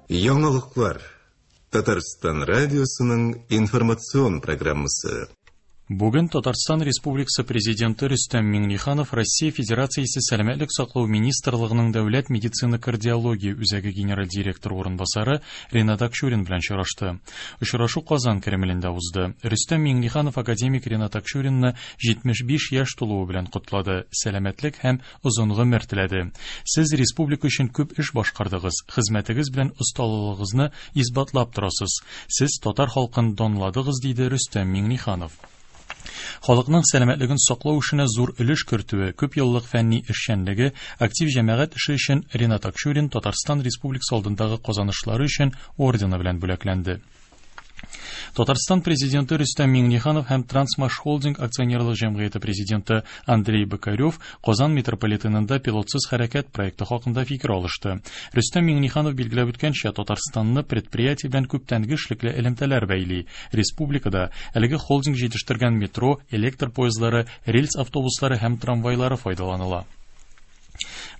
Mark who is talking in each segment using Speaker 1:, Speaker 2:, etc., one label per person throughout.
Speaker 1: Яңалыклар. Татарстан радиосының информацион программасы.
Speaker 2: Бүген Татарстан Республикасы Президенты Рөстәм Миңнеханов Россия Федерациясе Сәламәтлек саклау министрлыгының Дәүләт медицина кардиология үзәге генераль директоры урынбасары Ренат Акчурин белән очрашты. Очрашу Казан Кремлендә узды. Рөстәм Миңнеханов академик Ренат Акчуринны 75 яшь тулуы белән котлады, сәламәтлек һәм озын гомер теләде. Сез республика өчен күп эш башкардыгыз, хезмәтегез белән осталыгыгызны исбатлап торасыз. Сез татар халкын данладыгыз, диде Рөстәм Миңнеханов. Халыкның сәламәтлеген саклау эшенә зур өлеш кертүе, күп еллык фәнни эшчәнлеге, актив җәмәгать эше өчен Ренат Акчурин Татарстан Республикасы алдындагы казанышлары өчен ордены белән бүләкләнде. Татарстан президенты Рөстәм Миңнеханов һәм Трансмаш Холдинг акционерлык җәмгыяте президенты Андрей Бокарев Казан метрополитенында пилотсыз хәрәкәт проекты хакында фикер алышты. Рөстәм Миңнеханов билгеләп үткәнчә, Татарстанны предприятие белән күптәнге эшлекле элемтәләр бәйли. Республикада әлеге холдинг җитештергән метро, электр поездлары, рельс автобуслары һәм трамвайлары файдаланыла.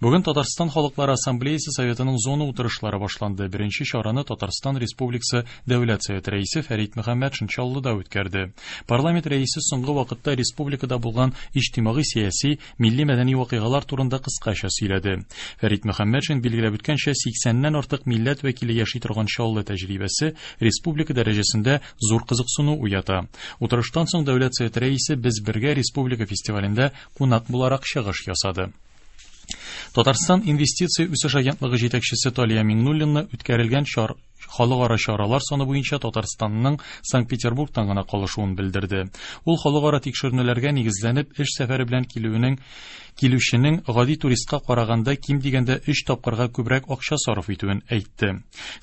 Speaker 2: Бүген Татарстан Халыклары Ассамблеясы Советының зона утырышлары башланды. Беренче чараны Татарстан Республикасы Дәүләт Советы рәисе Фәрит Мөхәммәтшин Чаллыда үткәрде. Парламент рәисе соңгы вакытта республикада булган иҗтимагый-сәяси, милли-мәдәни вакыйгалар турында кыскача сөйләде. Фәрит Мөхәммәтшин билгеләп үткәнчә, 80-нән артык милләт вәкиле яши торган Чаллы тәҗрибәсе республика дәрәҗәсендә зур кызыксыну уята. Утырыштан соң Дәүләт Советы рәисе Без бергә республика фестивалендә кунак буларак чыгыш ясады. Татарстан инвестиция үсеш агентлыгы җитәкчесе Талия Миңнуллина үткәрелгән чар халыкара чаралар саны буенча Татарстанның Санкт-Петербургтан гына калышуын белдерде. Ул халыкара тикшеренүләргә нигезләнеп эш сәфәре белән килүенең килүченең гади туристка караганда ким дигәндә 3 тапкырга күбрәк акча сарыф итүен әйтте.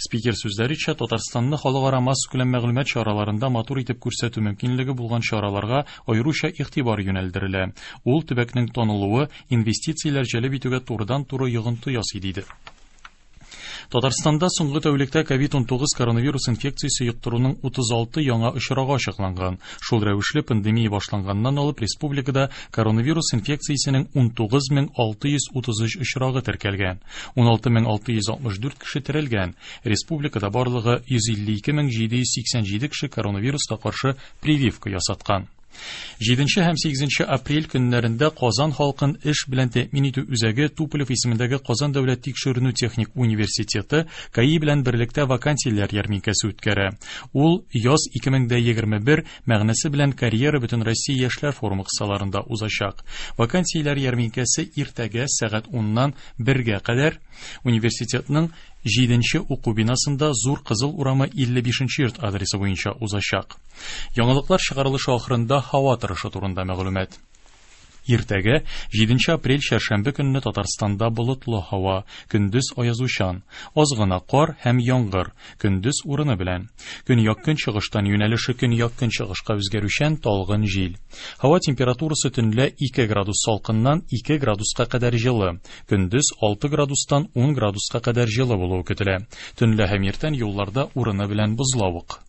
Speaker 2: Спикер сүзләренчә, Татарстанны халыкара массакүләм мәгълүмат чараларында матур итеп күрсәтү мөмкинлеге булган чараларга аеруча игътибар юнәлдерелә. Ул төбәкнең танылуы инвестицияләр җәлеп итүгә турыдан-туры йогынты ясый, диде. Татарстанда соңгы тәүлектә COVID-19 коронавирус инфекциясе йоктыруның 36 яңа очрагы ачыкланган. Шул рәвешле пандемия башланганнан алып республикада коронавирус инфекциясенең 19633 очрагы теркәлгән. 16664 кеше терелгән. Республикада барлыгы 152787 кеше коронавируска каршы прививка ясаткан. 7 һәм 8 апрель көннәрендә Казан халкын эш белән тәэмин итү үзәге Туполев исемендәге Казан дәүләт тикшеренү техник университеты КАИ белән берлектә вакансияләр ярминкәсе үткәрә. Ул яз 2021 мәгънәсе белән карьера Бөтенроссия яшьләр форумы кысаларында узачак. Вакансияләр ярминкәсе иртәгә сәгать 10-нан 1-гә кадәр университетның 7 уку бинасында Зур Кызыл урамы 55 йорт адресы буенча узачак. Яңалыклар чыгарылышы ахырында һава торышы турында мәгълүмат. Иртәгә 7 апрель чәршәмбе көнне Татарстанда болытлы һава, көндез аязучан, аз гына кар һәм яңгыр, көндез урыны белән. Көньяк-көнчыгыштан юнәлеше көньяк-көнчыгышка үзгәрүчән талгын җил. Һава температурасы төнлә 2 градус салкыннан 2 градуска кадәр җылы, көндез 6 градустан 10 градуска кадәр җылы булуы көтелә. Төнлә һәм иртән юлларда урыны белән бозлавык.